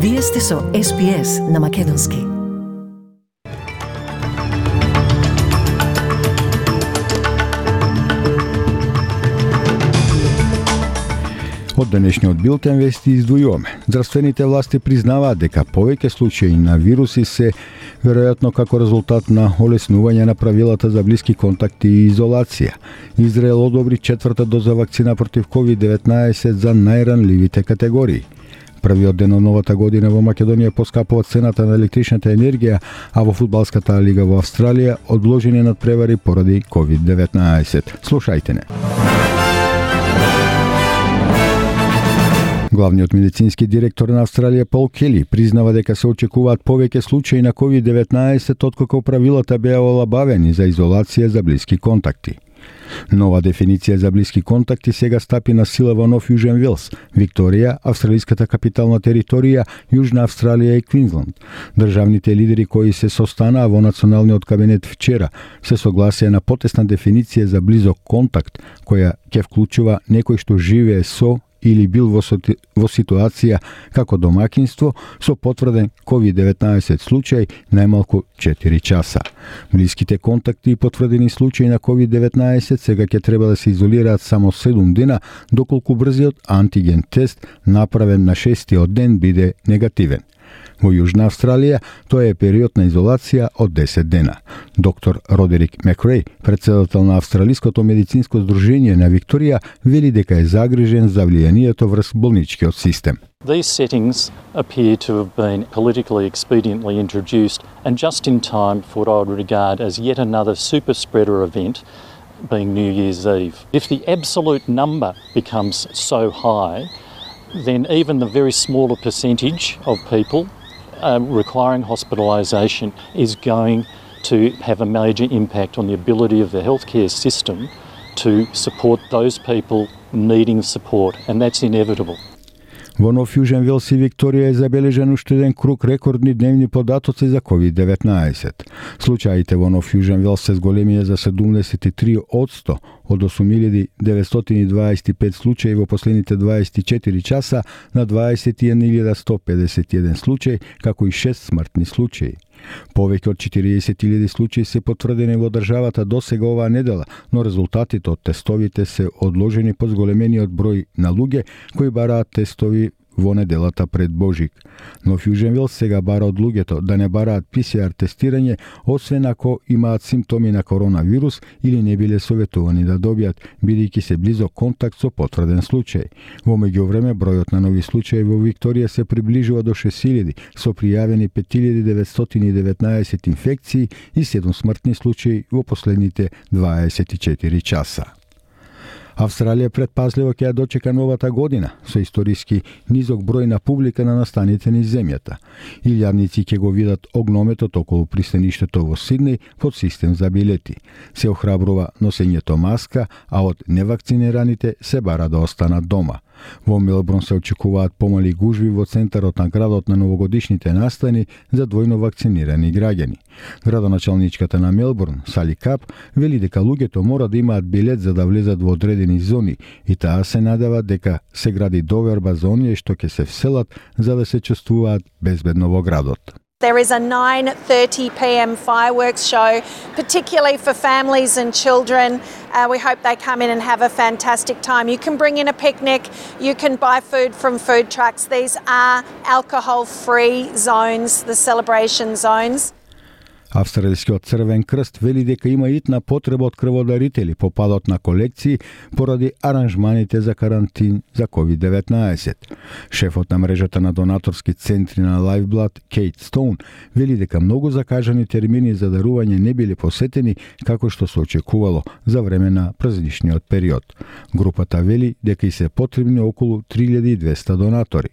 Вие сте со SPS на Македонски. Од денешниот билтен вести издвојуваме. Здравствените власти признаваат дека повеќе случаи на вируси се веројатно како резултат на олеснување на правилата за блиски контакти и изолација. Израел одобри 4-та доза вакцина против COVID-19 за најранливите категории. Првиот ден од новата година во Македонија поскапува цената на електричната енергија, а во фудбалската лига во Австралија одложени надпревари поради COVID-19. Слушајте не. Главниот медицински директор на Австралија Пол Кели признава дека се очекуваат повеќе случаи на COVID-19 откако правилата беа олабавени за изолација за блиски контакти. Нова дефиниција за блиски контакти сега стапи на сила во Нов Јужен Велс, Викторија, австралиската капитална територија, Јужна Австралија и Квинсленд. Државните лидери кои се состанаа во националниот кабинет вчера се согласија на потесна дефиниција за близок контакт, која ќе вклучува некој што живее со или бил во ситуација како домакинство со потврден COVID-19 случај најмалку 4 часа. Блиските контакти и потврдени случаи на COVID-19 сега ќе треба да се изолираат само 7 дена, доколку брзиот антиген тест направен на 6-тиот ден биде негативен. Во Јужна Австралија тоа е период на изолација од 10 дена. Доктор Родерик Макреј, председател на Австралиското медицинско здружение на Викторија, вели дека е загрижен за влијанието врз болничкиот систем. These settings appear to have been politically expediently introduced and just in time for what I would regard as yet another super spreader event, being New Year's Eve. If the absolute number becomes so high, then even the very smaller percentage of people requiring hospitalisation is going to have a major impact on the ability of the healthcare system to support those people needing support, and that's inevitable. Во Нов Јужен Велс и Викторија е забележен уште еден круг рекордни дневни податоци за COVID-19. Случаите во Нов Јужен Велс се зголемија за 73% од 8.925 случаи во последните 24 часа на 21.151 случаи, како и 6 смртни случаи. Повеќе од 40.000 случаи се потврдени во државата досега оваа недела, но резултатите од тестовите се одложени по зголемениот број на луѓе кои бараат тестови во неделата пред Божик. Нов Јужен Велс сега бара од луѓето да не бараат ПСР тестирање, освен ако имаат симптоми на коронавирус или не биле советувани да добијат, бидејќи се близок контакт со потврден случај. Во меѓувреме, бројот на нови случаи во Викторија се приближува до 6.000, со пријавени 5.919 инфекции и 7 смртни случаи во последните 24 часа. Австралија предпазливо ќе ја дочека новата година со историски низок број на публика на настаните низ земјата. Илјадници ќе го видат огнометот околу пристаништето во Сиднеј под систем за билети. Се охрабрува носењето маска, а од невакцинираните се бара да останат дома. Во Мелбурн се очекуваат помали гужви во центарот на градот на новогодишните настани за двојно вакцинирани граѓани. Градоначалничката на Мелбурн, Сали Кап, вели дека луѓето мора да имаат билет за да влезат во одредени зони и таа се надева дека се гради доверба за оние што ќе се вселат за да се чувствуваат безбедно во градот. There is a 9:30 p.m. fireworks show, particularly for families and children. We hope they come in and have a fantastic time. You can bring in a picnic, you can buy food from food trucks. These are alcohol-free zones, the celebration zones. Австралискиот Црвен крст вели дека има итна потреба од крводарители по падот на колекции поради аранжманите за карантин за COVID-19. Шефот на мрежата на донаторски центри на Lifeblood, Кейт Стоун, вели дека многу закажани термини за дарување не биле посетени како што се очекувало за време на празничниот период. Групата вели дека и се потребни околу 3200 донатори.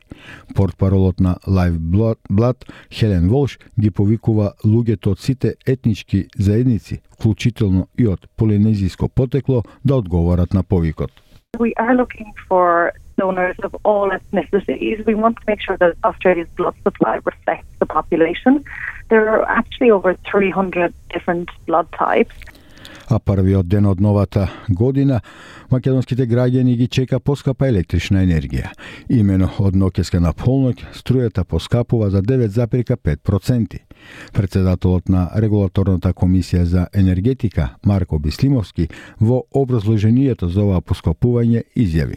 Портпаролот на Lifeblood, Хелен Волш, ги повикува луѓето од сите етнички заедници, вклучително и од полинезиско потекло, да одговорат на повикот. We are looking for donors of all ethnicities. We want to make sure that Australia's blood supply reflects the population. There are actually over 300 different blood types. А првиот ден од новата година македонските граѓани ги чека поскапа електрична енергија. Имено од ноќеска на полноќ струјата поскапува за 9,5%. Председателот на Регулаторната комисија за енергетика Марко Бислимовски во образложението за ова поскапување изјави: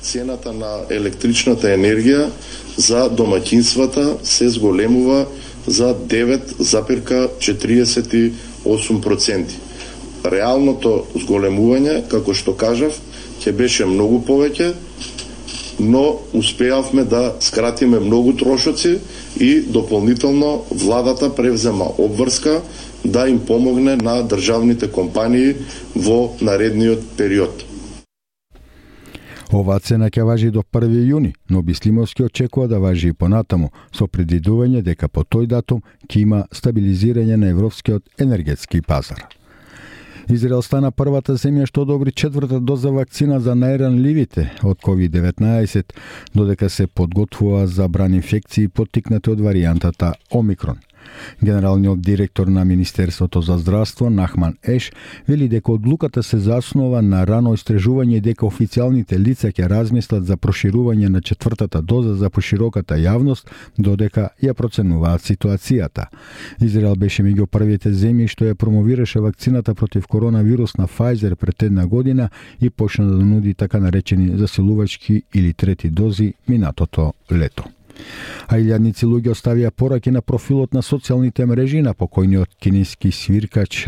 Цената на електричната енергија за домаќинствата се зголемува за 9,48%. Реалното зголемување, како што кажав, ќе беше многу повеќе, но успеавме да скратиме многу трошоци и дополнително владата превзема обврска да им помогне на државните компании во наредниот период. Оваа цена ќе важи до 1 јуни, но Бислимовски очекува да важи и понатаму, со предвидување дека по тој датум ќе има стабилизирање на европскиот енергетски пазар. Израел стана првата земја што одобри 4-та доза вакцина за најранливите од COVID-19, додека се подготвува за бран инфекции поттикнати од варијантата Омикрон. Генералниот директор на Министерството за здравство Нахман Еш вели дека одлуката се заснова на рано истражување и дека официјалните лица ќе размислат за проширување на 4-та доза за пошироката јавност, додека ја проценуваат ситуацијата. Израел беше меѓу првите земји што ја промовираше вакцината против коронавирус на Pfizer пред една година и почна да нуди така наречени засилувачки или трети дози минатото лето. А илјадници луѓе оставија пораки на профилот на социјалните мрежи на покојниот кинески свиркач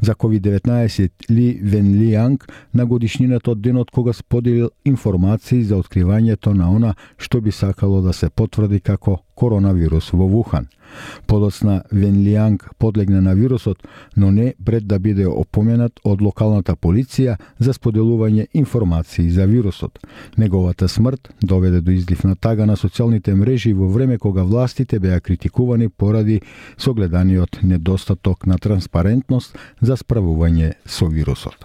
за COVID-19 Ли Венлијанг на годишнината од денот кога споделил информации за откривањето на она што би сакало да се потврди како коронавирус во Вухан. Подоцна Венлијанг подлегна на вирусот, но не пред да биде опоменат од локалната полиција за споделување информации за вирусот. Неговата смрт доведе до излив на тага на социјалните мрежи во време кога властите беа критикувани поради согледаниот недостаток на транспарентност за справување со вирусот.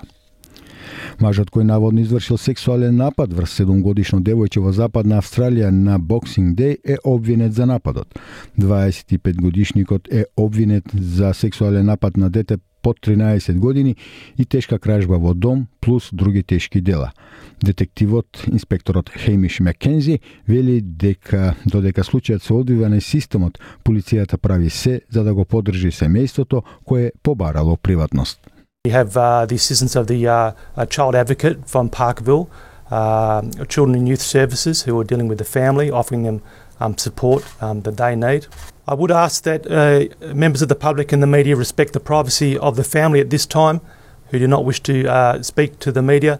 Мажот кој наводно извршил сексуален напад врз 7-годишно девојче во Западна Австралија на Boxing Day е обвинет за нападот. 25-годишникот е обвинет за сексуален напад на дете под 13 години и тешка кражба во дом плюс други тешки дела. Детективот, инспекторот Хеймиш Маккензи, вели дека додека случајот се одвива на системот, полицијата прави се за да го поддржи семејството кое побарало приватност. We have the assistance of the child advocate from Parkville, Children and Youth Services who are dealing with the family, offering them support that they need. I would ask that members of the public and the media respect the privacy of the family at this time, who do not wish to speak to the media.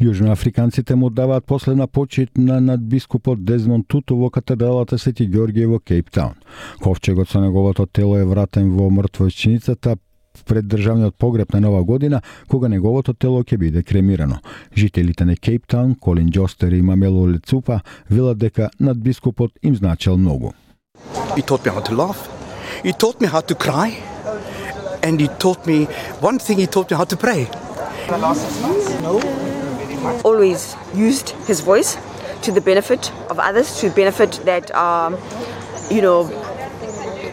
Јужноафриканците му даваат последна почит на надбискупот Дезмонд Туту во катедралата Свети Ѓорѓе во Кейптаун. Ковчегот со неговото тело е вратен во мртвојчиницата пред државниот погреб на Нова година, кога неговото тело ќе биде кремирано. Жителите на Кейптаун, Колин Џостер и Мамело Лецупа, велат дека надбискупот им значел многу. He taught me how to laugh. He taught me how to cry. And he taught me, one thing he taught me how to pray. Always used his voice to the benefit of others, to the benefit that are,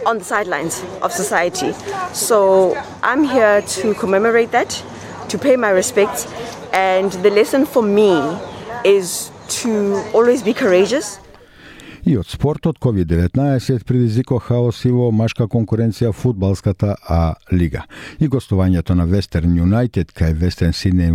on the sidelines of society. So I'm here to commemorate that, to pay my respects, and the lesson for me is to always be courageous. И од спортот, COVID-19 предизвикува хаос и во машка конкуренција фудбалската А лига. И гостувањето на Western United кај Western Sydney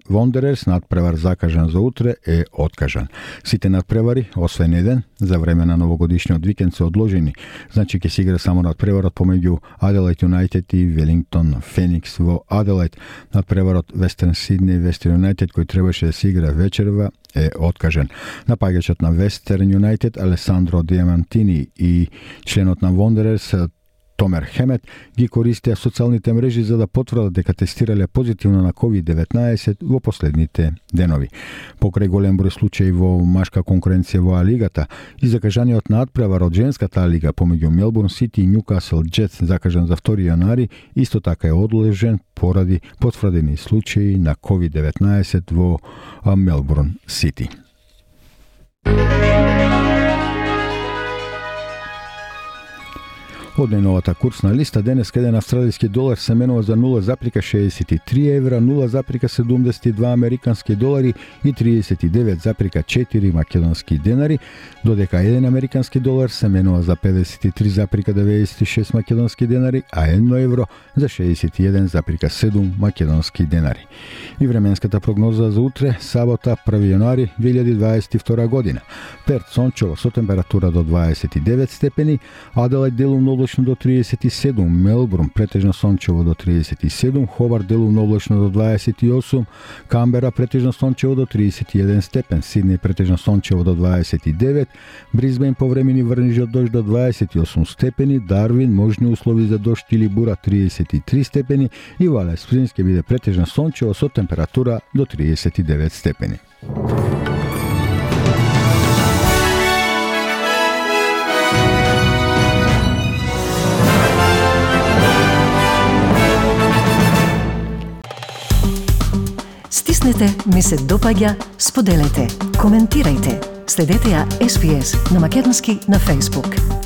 Wanderers, надпревар закажан за утре, е откажан. Сите надпревари, освен еден, за време на новогодишниот викенд се одложени. Значи ќе се игра само надпреварот помеѓу Adelaide United и Wellington Phoenix во Adelaide. Надпреварот Western Sydney Western United кој требаше да се игра вечерва е откажен. Напаѓачот на Western United Алесандро Диамантини и членот на Wanderers Томер Хемет ги користеа социјалните мрежи за да потврдат дека тестирале позитивно на COVID-19 во последните денови. Покрај голем број случаи во машка конкуренција во А-лигата и закажаниот надпревар од женската А-лига помеѓу Мелбурн Сити и Ньукасл Джетс закажан за 2 јанари, исто така е одложен поради потврдени случаи на COVID-19 во Мелбурн Сити. Од најновата курсна листа денеска еден австралиски долар се менува за 0,63 евра, 0,72 американски долари и 39,4 македонски денари, додека еден американски долар се менува за 53,96 македонски денари, а 1 евро за 61,7 македонски денари. И временската прогноза за утре, сабота, 1 јануари 2022 година. Перт сончево со температура до 29 степени, Аделајд делумно облачно до 37, Мелбурн претежно сончево до 37, Хобарт делумно облачно до 28, Камбера претежно сончево до 31 степен, Сиднеј претежно сончево до 29, Брисбејн повремени врнежи од дожд до 28 степени, Дарвин можни услови за дожд или бура 33 степени и Валес Спрингс ќе биде претежно сончево со температура до 39 степени. Стиснете, ми се допаѓа, споделете, коментирајте. Следете ја SPS на Македонски на Facebook.